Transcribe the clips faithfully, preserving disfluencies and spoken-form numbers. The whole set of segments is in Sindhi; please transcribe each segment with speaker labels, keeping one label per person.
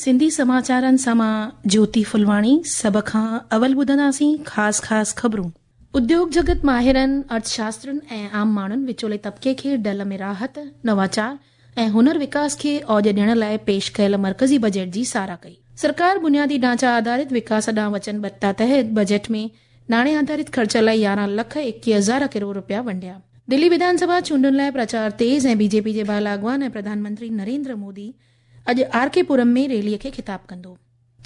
Speaker 1: سنڌي سماچارن سان مان جيوتي ڦلواڻي. سڀ کان اول ٻڌنداسين خاص خاص خبرون. اديوگ جڳت ماهرن، ارٿشاسترين ۽ عام ماڻهن وچولي طبقي کي ڍل ۾ راحت، نواچار ۽ هنر وڪاس کي اوج ڏيڻ لاءِ پيش ڪيل مرڪزي بجيٽ جي ساراهه ڪئي. سرڪار بنيادي ڍانچا آڌارت وڪاس ڏانهن وچنبڌتا تحت بجيٽ ۾ ناڻي آڌارت خرچ لاءِ يارهن لک ايڪويهه هزار ڪروڙ رپيا ونڊيا. دلي وڌان سڀا چونڊن لاءِ پرچار تيز ۽ بي جي پي جي بالا اڳواڻ ۽ پرڌان منتري نريندر مودي اڄ آر ڪي پورم ۾ ريليءَ کي خطاب ڪندو.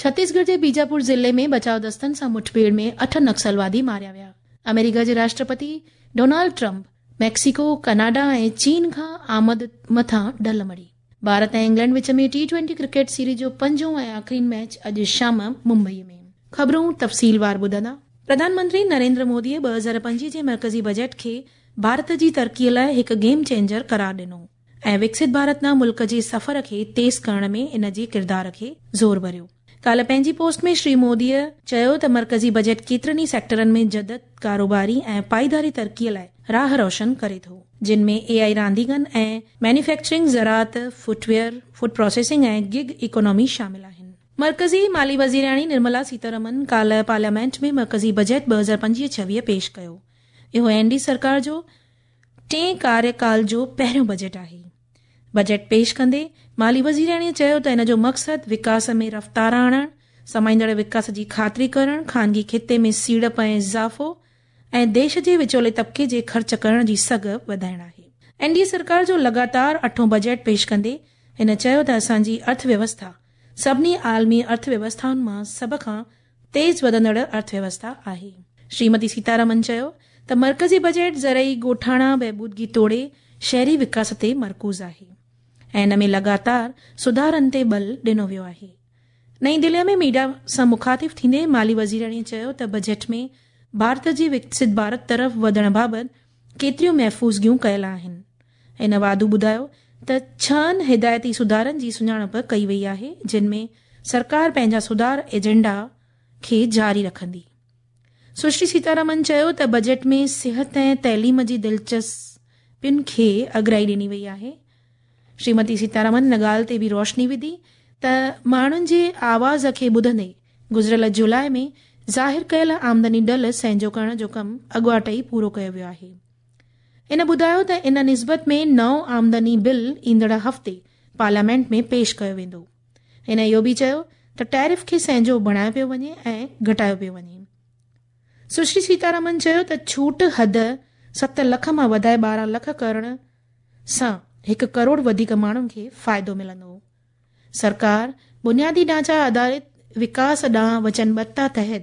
Speaker 1: ڇتيسڳڙهه جي بيجاپور ضلعي ۾ بچاء دستن سان مٺڀيڙ ۾ اٺ نڪسلوادي ماريا ويا. آمريڪا جي Rashtrapati Donald Trump Mexico, Canada ۽ چين کان آمد مٿان ڍل مڙهي. ڀارت ۽ انگلينڊ وچ ۾ ٽي ٽوئنٽي ڪرڪيٽ سيريز جو پنجون ۽ آخرين ميچ اڄ شام ممبئي ۾. خبرون تفصيلوار ٻڌندا. پرڌان منتري نريندر موديءَ ٻه هزار پنجويهه جي مرڪزي بجيٽ کي ڀارت جي ترقيءَ لاءِ هڪ گيم چينجر قرار ڏنو ۽ وڪست ڀارت ڏانهن ملڪ جي سفر کي تيز ڪرڻ ۾ ان جي ڪردار کي زور ڀريو. ڪالهه پنهنجي پوسٽ ۾ شري موديءَ چيو ته مرڪزي بجيٽ ڪيترن ئي سيڪٽرن ۾ جدت، ڪاروباري ۽ پائيداري ترقيءَ لاءِ راهه روشن ڪري ٿو، جن ۾ اي آئي رانديگن ۽ مينوفيڪچرنگ، زراعت، فٽويئر، فوڊ پروسيسنگ ۽ گگ اڪانامي شامل آهن. مرڪزي مالي وزيراڻي نرملا سيتارمن ڪالهه پارليامينٽ ۾ مرڪزي بجيٽ ٻه هزار پنجويهه ڇويهه پيش ڪيو. اهو اين ڊي سرڪار جو ٽئين ڪاريڪال جو پهريون بجيٽ آهي. بجيٽ پيش ڪندي مالي وزيراڻيءَ چيو ته ان جو مقصد وڪاس ۾ رفتار آڻڻ، سمائيندڙ وڪاس جي خاطري ڪرڻ، خانگي خطي ۾ سيڙپ ۽ اضافو ۽ ديش جي وچولي طبقي جي خرچ ڪرڻ جي سگهه وڌائڻ آهي. اين ڊي اي سرڪار جو لڳاتار اٺون بجيٽ پيش ڪندي هن چيو ته اسان جي ارٿويوسٿا سڀني عالمي ارٿويوسٿائن مان سڀ کان تيز وڌندڙ ارٿويوسٿا آهي. شريمتي سيتارمن چيو ته مرڪزي بجيٽ زرعي ڳوٺاڻا بهبودگي توڙي شهري وڪاس تي مرڪوز آهي ۽ ان ۾ لڳاتار سڌارن تي ٻل ڏنو ويو آهي. نئين دليءَ ۾ ميڊيا سان مخاطب ٿيندي مالي وزيراڻيءَ چيو ته بجيٽ ۾ ڀارت جي وڪست ڀارت طرف وڌڻ بابت ڪيتريون محفوظگيون ڪيل آهن. هن واڌو ٻڌايو ته ڇهن هدايتي سڌارن جي سڃاڻپ ڪئي وئي آهي، جن ۾ سرڪار پنهنجا سڌار ايجنڊا کي جاري رکندي. سشري سيتارمن چيو ته بجيٽ ۾ صحت ۽ تعليم جي دلچسپين کي اڳرائي ڏني وئي آهي. شريمتي سيتارمن ان ڳالهه تي به روشني وڌي ته ماڻهن جي آواز کي ٻڌندي گذريل جولاءِ ۾ ظاهر ڪيل آمدني ڍل سهنجو ڪرڻ جو ڪم اڳواٽ ئي پورو ڪيو ويو آهي. هن ٻڌايو ته ان نسبت ۾ نئون آمدني بل ايندڙ هفتي پارليامينٽ ۾ پيش ڪيو ويندو. هن اهو به چيو ته ٽيرف کي سهنجو بڻايو پيو وڃي ۽ گهٽايو پيو وڃي. سشري سيتارمن چيو ته ڇوٽ حد ست لک مان وڌائي ٻارهن لک ڪرڻ سان هڪ ڪروڙ وڌيڪ ماڻهن کي فائدو ملندو. سرڪار بنيادي ڍانچا آڌارت وڪاس ڏانهن وچنبڌتا تحت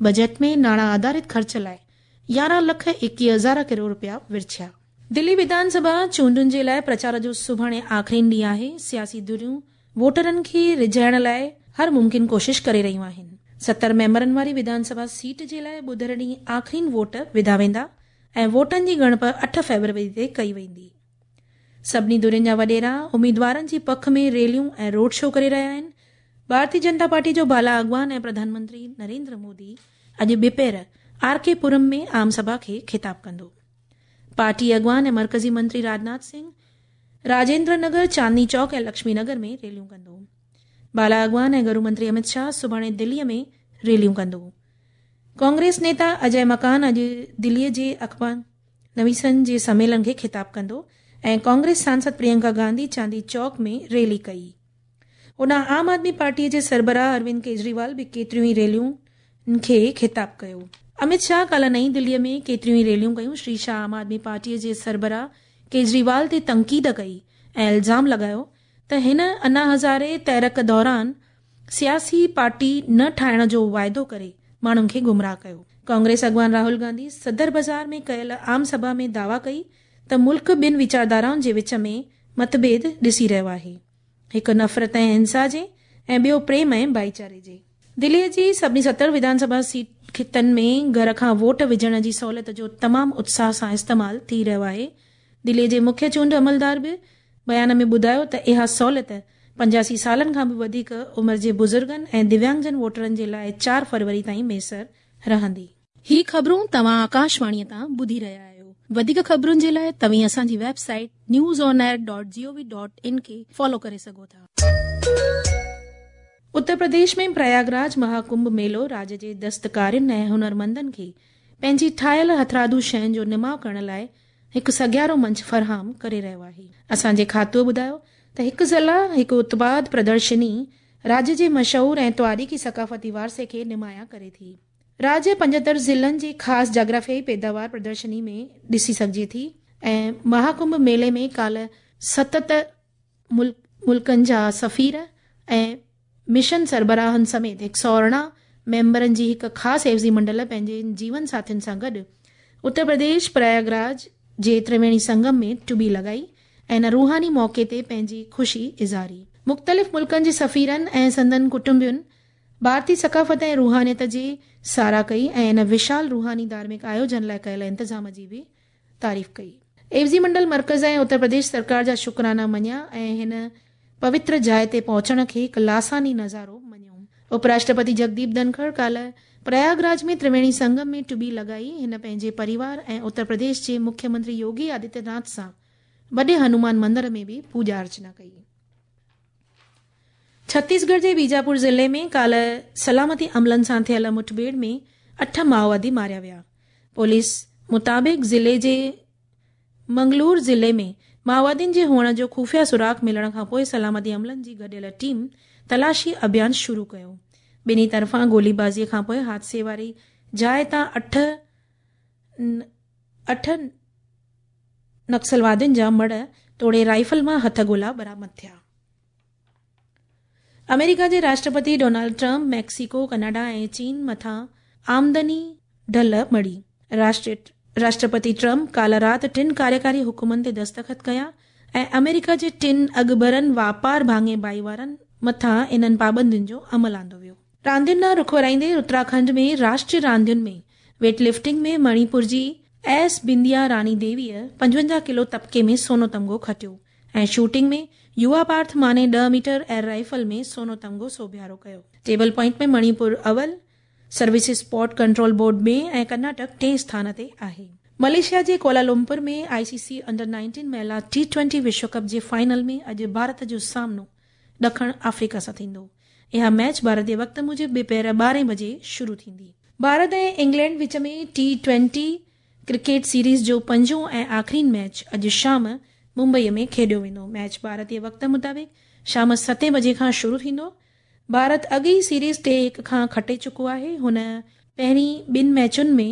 Speaker 1: بجيٽ ۾ ناڻا آڌارت خرچ لاءِ يارهن لک ايڪويهه هزار ڪروڙ رپيا ورڇيا. دلي وڌان سڀا چونڊن جي لاءِ پرچار جو سڀاڻي آخرين ڏينهن آهي. سياسي ڌريون ووٽرن کي رجهائڻ لاءِ هر ممڪن ڪوشش ڪري رهيون آهن. ستر ميمبرن واري وڌان سڀا سيٽ جي لاءِ ٻڌر ڏينهن آخرين ووٽ وڌا ويندا ۽ ووٽن جي ڳڻپ اٺ فيبروري تي ڪئي ويندي. سڀني ڌرين جا وڏيرا اميدوارن جي پک ۾ ريليون ۽ روڊ شو ڪري رهيا آهن. ڀارتيه جنتا پارٽي جو بالا اڳواڻ ۽ پرڌان منتري نريندر مودي اڄ ٻپهر آر ڪي پورم ۾ عام سڀا کي خطاب ڪندو. پارٽي اڳواڻ ۽ مرڪزي منتري راجناٿ سنگهه راجيندر نگر، چاندني چوڪ ۽ لڪشمي نگر ۾ ريليون ڪندو. بالا اڳواڻ ۽ گرو منتري امت شاهه سڀاڻي دليءَ ۾ ريليون ڪندو. ڪانگريس نيتا اجي مڪان اڄ دليءَ جي اخبار نويسن جي سميلن کي خطاب ڪندو ۽ ڪانگريس سانسد پريانڪا گانڌي چاندني چوڪ ۾ ريلي ڪئي. هوڏانهن عام آدمي پارٽيءَ جي سربراهه اروند ڪيجريوال به ڪيتريون ئي ريليون کي خطاب ڪيو. امت شاهه ڪالهه نئين دليءَ ۾ ڪيتريون ئي ريليون ڪيون. شري شاهه عام آدمي پارٽيءَ جي سربراهه ڪيجريوال تي تنقيد ڪئي ۽ الزام لڳايو ته هن انا هزاري تحرڪ دوران سياسي پارٽي نه ٺاهڻ جو واعدو ڪري ماڻهن کي گمراهه ڪيو. ڪانگريس اڳواڻ راهول گانڌي صدر بازار ۾ ڪيل عام سڀا ۾ دعويٰ ڪئي ته ملڪ ٻن ويچارڌارائن جي وچ ۾ متڀيد ڏسي رهيو آهي، هڪ نفرت ۽ هنسا جي ۽ ٻيو پريم ۽ ڀائيچاري جي. دليءَ جي سڀني ستر وڌان سڀا سيٽ خطن ۾ گهر کان ووٽ وجهڻ جي سهوليت جو تمام اتساهه سان استعمال ٿي رهيو آهي. دليءَ جي مکيه چونڊ عملدار به بيان ۾ ٻڌايو ته اها سهوليت پنجاسي سالن کان به وڌيڪ عمر جي بزرگن ۽ دويانگجن ووٽرن جي لاءِ چار فروري تائين ميسر رهندي. هي خبرون توهان آڪاشواڻيءَ تان ٻڌي رهيا آهيو. وڌيڪ خبرن جي لاءِ توهين اسان جي website news on air dot G O V dot in کي فالو ڪري سگهو ٿا. اتر پرديش ۾ پرياگراج مهاڪنڀ ميلو راجيه جي دستڪارين ۽ هنرمندن کي پنهنجي ٺاهيل هٿرادو شين جو نماءُ ڪرڻ لاءِ هڪ سگهارو منچ فراهم ڪري رهيو آهي. اسان جي کاتو ٻڌايو ته هڪ ضلع هڪ اتپاد پردرشني راجيه جي مشهور ۽ تاريخي ثقافتي وارثي کي نمايان ڪري ٿي. راجيه پنجهتر ضلعن جي خاص جاگرافيائي پيداوار پردرشني ۾ ڏسي سگهجي ٿي ۽ مهاڪنڀ ميلي ۾ ڪالهه ستت ملڪن جا سفير ۽ مشن سربراهن سميت هڪ سؤ ارڙهن ميمبرن جي هڪ خاص عيوضي منڊل پنهنجي جيون ساٿين سان گڏ اتر پرديش پرياگراج جي ترويڻي سنگم ۾ ٽٻي لڳائي ۽ ان روحاني موقعي تي پنهنجي خوشي اظهاري. مختلف ملڪن جي سفيرن ۽ سندن ڪٽنبن ڀارتي ثقافت ۽ روحانيت جي ساراهه ڪئي ۽ ان وشال روحاني ڌارمڪ آيوجن لاءِ ڪيل انتظام جي به تعريف ڪئي. عيوضي منڊل مرڪز ۽ اتر پرديش سرڪار جا شڪرانا مڃيا ۽ هن پوتر جاءِ تي پهچڻ کي هڪ لاثاني نظارو مڃيو. اپراشٽرپتي جگديپ ڌنکڙ ڪالهه پرياگراج ۾ ترويڻي سنگم ۾ ٽٻي لڳائي. هن پنهنجي پريوار ۽ اتر پرديش جي مکيه منتري يوگي آدتيه ناٿ سان وڏي هنومان مندر ۾ به پوڄا ارچنا ڪئي. ڇتيسڳڙهه جي بيجاپور ضلعي ۾ ڪالهه سلامتي عملن سان ٿيل مٺڀيڙ ۾ اٺ مائووادي ماريا ويا. پوليس مطابق ضلعي جي منگلور ضلعي ۾ مائووادين جي هئڻ جو خفيه سراغ ملڻ کان پوءِ سلامتي عملن جي گڏيل ٽيم تلاشي اڀيان شروع ڪيو. ٻنهي طرفان گوليبازيءَ کان پوءِ حادثي واري جاءِ تان اٺ اٺ نڪسلوادين جا مڙهه توڙي رائفل مان هٿ گولا برآمد ٿيا. آمريڪا جي Rashtrapati Donald Trump Mexico, Canada ۽ چين مٿان آمدني ڍل مڙهي. راشٽرپتي ٽرمپ ڪالهه رات ٽن ڪاريڪاري حڪمن تي دستخط ڪيا ۽ آمريڪا جي ٽن اڳڀرن واپار ڀاڱي ڀائيوارن مٿان انهن پابندين جو عمل آندو ويو. راندين ڏانهن رخ ورائيندي اتراکنڊ ۾ راشٽريه راندين ۾ ويٽ لفٽنگ ۾ مڻيپور جي ايس بنديا راني ديويءَ پنجونجاهه ڪلو طبقي ۾ سونو تمغو کٽيو ۽ شوٽنگ ۾ يووا پارٿ ماني ڏهه ميٽر ايئر رائفل ۾ سونو تمغو سوڀيارو ڪيو. ٽيبل پوائنٽ ۾ مڻيپور اول، services sport control board ۾ ۽ Karnataka ٽئين اسٿان تي آهي. ملائيشيا جي Kuala Lumpur ۾ I C C under nineteen مهلا ٽي ٽوئنٽي وشو ڪپ جي فائنل ۾ اڄ ڀارت جو سامنو ڏکڻ آفريڪا سان ٿيندو. اها ميچ ڀارتي وقت موجب ٻپهر ٻارهين بجي شروع ٿيندي. ڀارت ۽ انگلينڊ وچ ۾ ٽي ٽوئنٽي ڪرڪيٽ سيريز جو پنجون ۽ آخرين ميچ اڄ شام ممبئيءَ ۾ کيڏيو ويندو. ميچ ڀارتي وقت مطابق شام ستين بجي کان شروع ٿيندو. ڀارت اڳ ئي سيريز ٽي هڪ کان کٽي چڪو آهي. هن پهرين ٻن ميچن ۾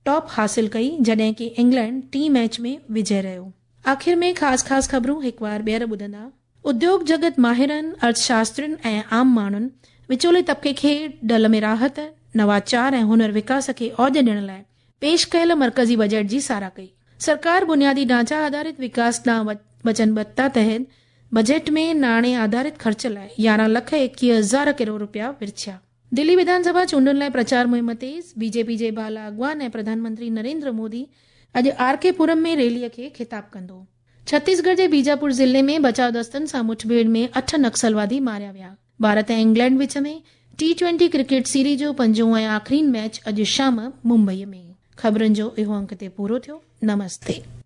Speaker 1: ٽاپ حاصل ڪئي، جڏهن ڪه انگلينڊ ٽين ميچ ۾ وجي رهيو. آخر ۾ خاص خاص خبرون هڪ بار ٻيهر ٻڌندا. اديوگ جڳت ماهرن، ارٿشاسترين ۽ عام ماڻهن وچولي طبقي کي ڍل ۾ راحت، نواچار ۽ هنر وڪاس کي اوج ڏيڻ لاءِ پيش ڪيل مرڪزي بجيٽ جي ساراهه ڪئي. سرڪار بنيادي ڍانچا آڌارت وڪاس ڏانهن وچنبڌتا تحت بجيٽ ۾ ناڻي آڌارت خرچ لاءِ يارهن لک ايڪويهه هزار ڪروڙ رپيا ورڇيا. دلي وڌانسڀا چونڊن لاءِ پرچار مهم تيز. بي جي پي جي بالا اڳواڻ ۽ پرڌان منتري نريندر مودي اڄ آر ڪي پورم ۾ ريليءَ کي خطاب ڪندو. ڇتيسڳڙهه جي بيجاپور ضلعي ۾ بچاءُ دستن سان مٺڀيڙ ۾ اٺ نڪسلوادي ماريا ويا. ڀارت ۽ انگلينڊ وچ ۾ ٽي ٽوئنٽي ڪرڪيٽ سيريز جو پنجون ۽ آخرين ميچ اڄ شام ممبئيءَ ۾. خبرن جو اهو انڪ تي پورو ٿيو. نمستي.